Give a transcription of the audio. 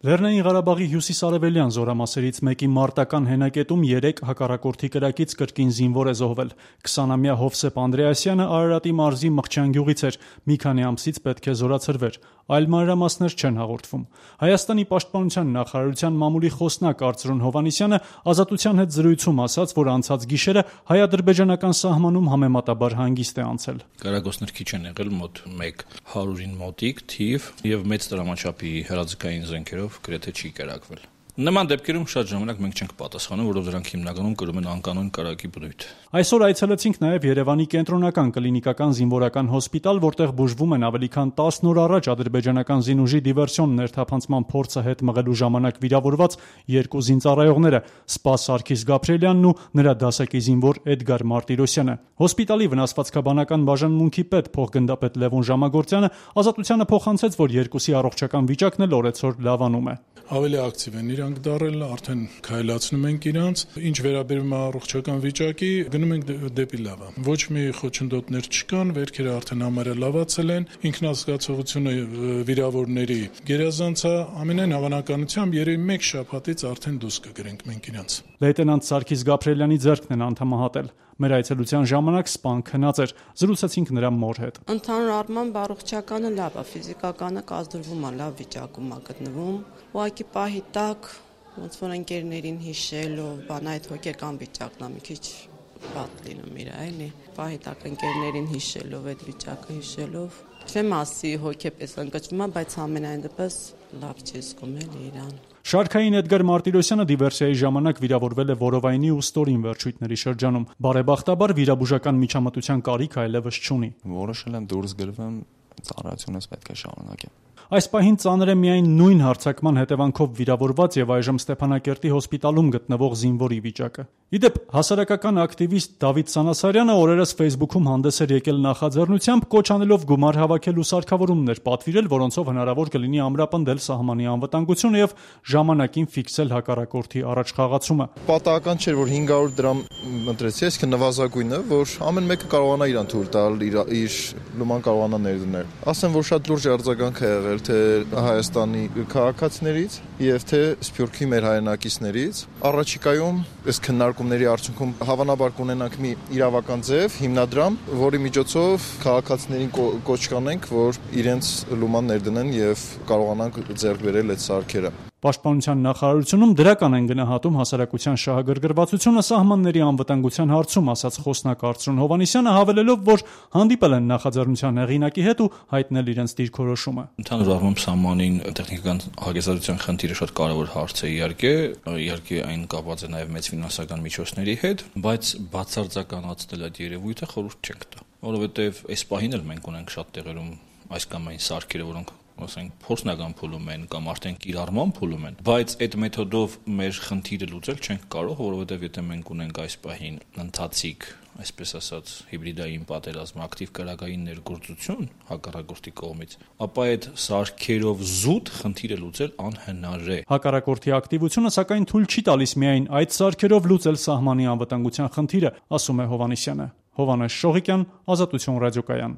Լեռնային Ղարաբաղի հյուսիսարևելյան զորամասերից մեկի մարտական հենակետում 3 հակառակորդի կրակից կրկին զինվոր է զոհվել։ 20-ամյա Հովսեփ Անդրեասյանը Արարատի մարզի Մղչյան գյուղից էր, մի քանի ամսից պետք է զորացրվեր։ Այլ մանրամասներ չեն հաղորդվում։ Հայաստանի պաշտպանության նախարարության մամուլի խոսնակ Արծրուն Հովհաննիսյանը Ազատության հետ զրույցում ասաց, որ անցած գիշերը հայ-ադրբեջանական սահմանում համեմատաբար հանգիստ է անցել։ Կրակոցներ քիչ են եղել, մոտ 100-ին մոտիկ թիվ եւ մեծ դրամաչափի հրաձգային զենքերով գրեթե չի կրակվել։ Նման դեպքերում շատ ժամանակ մենք չենք պատասխանում, որովհետև դրանք հիմնականում կրում են անկանոն կրակի բնույթ։ Այսօր այցելեցինք նաև Երևանի կենտրոնական կլինիկական զինվորական հոսպիտալ, որտեղ բուժվում են ավելի քան 10 օր առաջ ադրբեջանական զինուժի դիվերսիոն ներթափանցման փորձը հետ մղելու ժամանակ վիրավորված 2 զինծառայողները՝ Սպաս Սարգիս Գաբրիելյանն ու նրա դասակի զինվոր Էդգար Մարտիրոսյանը։ Հոսպիտալի վնասվածքաբանական բաժանմունքի պետ փոխգնդապետ Լևոն Ժամագործյանը Ազատությանը փոխանցեց, որ երկուսի առողջական վիճակն էլ օրեցօր լավանում է։ Ավելի ակտիվ են իրանք դարել, արդեն քայլացնում ենք իրանց։ Ինչ վերաբերում է առողջական վիճակի, գնում ենք դեպի լավը։ Ոչ մի խոչընդոտներ չկան, վերքերը արդեն համարյա լավացել են, ինքնազգացողությունը վիրավորների գերազանց է, ամենայն հավանականությամբ երևի 1 շաբաթից արդեն դուրս կգրենք մենք իրանց։ Լեյտենանտ Սարգիս Գաբրիելյանի ձեռքն են անդամահատել։ Մեր այցելության ժամանակ սպան քնած էր, զրուցեցինք նրա մոր հետ։ Ընդհանուր առմամբ առողջականը լավ է, ֆիզիկականը կազդրվում է, լավ վիճակում է գտնվում։ Ուղղակի պահի տակ ոնց որ ընկերներին հիշելով, այդ հոգեկան վիճակն է մի քիչ վատ լինում իր, էլի։ Պահի տակ ընկերներին հիշելով, այդ վիճակը հիշելով, չեմ ասի հոգեպես ընկճվում է, բայց ամենայն դեպս լավ չի զգում էլի իրան։ Շարքային Էդգար Մարտիրոսյանը դիվերսիայի ժամանակ վիրավորվել է որովայնի ու ստորին վերջույթների շրջանում։ Բարեբախտաբար վիրաբուժական միջամտության կարիք այլևս չունի։ Որոշել եմ դուրս գլվեմ, ծառայությունս պետք է շարունակեմ։ Այս պահին ծանր է միայն նույն հարձակման հետևանքով վիրավորված եւ այժմ Ստեփանակերտի հոսպիտալում գտնվող զինվորի վիճակը։ Իդեպ հասարակական ակտիվիստ Դավիթ Սանասարյանը օրերս Facebook-ում հանդես էր եկել նախաձեռնությամբ կոչ անելով գումար հավաքելու սարքավորումներ պատվիրել, որոնցով հնարավոր կլինի ամրապնդել սահմանի անվտանգությունը եւ ժամանակին ֆիքսել հակառակորդի առաջխաղացումը։ Պատահական չէր, որ 500 դրամ ընտրեցի, այսինքն նվազագույնը, որ ամեն մեկը կարողանա իրան թույլ տալ, իր լուման կարողանա ներդնել։ Ասեմ, որ շատ լուրջ արձագանք է եղել թե Հայաստանի քաղաքացիներից եւ թե Սփյուռքի մեր հայրենակիցներից։ Առաջիկայում այս քննարկումների արդյունքում հավանաբար կունենանք մի իրավական ձև, հիմնադրամ, որի միջոցով քաղաքացիներին կոչ կանենք, որ իրենց լուման ներդնեն եւ կարողանանք ձեռք բերել այդ սարքերը։ Պաշտպանության նախարարությունում դրական են գնահատում հասարակության շահագրգռվածությունը սահմանների անվտանգության հարցում, ասաց խոսնակ Արծրուն Հովհաննիսյանը, հավելելով, որ հանդիպել են նախաձեռնության հեղինակի հետ ու հայտնել իրենց դիրքորոշումը։ Ընդհանուր առմամբ սահմանին տեխնիկական հագեցածության խնդիրը շատ կարևոր հարց է, իհարկե այն կապված է նաև մեծ ֆինանսական միջոցների հետ, բայց բացարձականացնել այդ երևույթը խորհուրդ չենք տա, որովհետև այս պահին էլ մենք ունենք շատ տեղերում այս կամ այն սարքերը, որոնք ասենք փորձնական փուլում են կամ արդեն կիրառման փուլում են, բայց այդ մեթոդով մեր խնդիրը լուծել չենք կարող, որովհետև եթե մենք ունենք այս պահին ընթացիկ, այսպես ասած, հիբրիդային պատերազմ, ակտիվ կրակային ներգործություն հակառակորդի կողմից, ապա այդ սարքերով զուտ խնդիրը լուծել անհնար է։ Հակառակորդի ակտիվությունը սակայն թույլ չի տալիս միայն այդ սարքերով լուծել սահմանի անվտանգության խնդիրը, ասում է Հովհաննիսյանը։ Հովհաննես Շողիկյան, Ազատություն ռադիոկայան։